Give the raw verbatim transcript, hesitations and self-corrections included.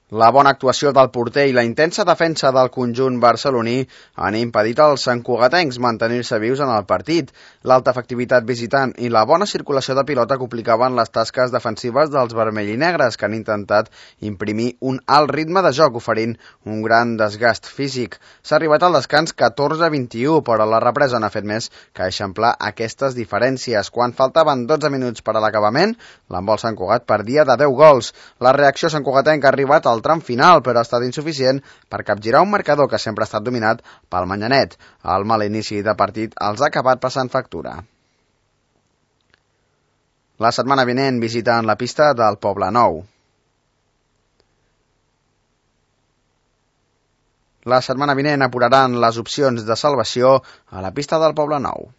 La bona actuació del porter i la intensa defensa del conjunt barceloní han impedit als santcugatencs mantenir-se vius en el partit. L'alta efectivitat visitant i la bona circulació de pilota complicaven les tasques defensives dels vermell i negres, que han intentat imprimir un alt ritme de joc, oferint un gran desgast físic. S'ha arribat al descans catorze a vint-i-u, però la represa n'ha fet més que eixamplar aquestes diferències. Quan faltaven dotze minuts per a l'acabament, l'handbol Sant Cugat perdia de deu gols. La reacció santcugatenca ha arribat al tram final, però ha estat insuficient per capgirar un marcador que sempre ha estat dominat pel Manyanet. El mal inici de partit els ha acabat passant factura. La setmana vinent visiten la pista del Poblenou. La setmana vinent apuraran les opcions de salvació a la pista del Poblenou.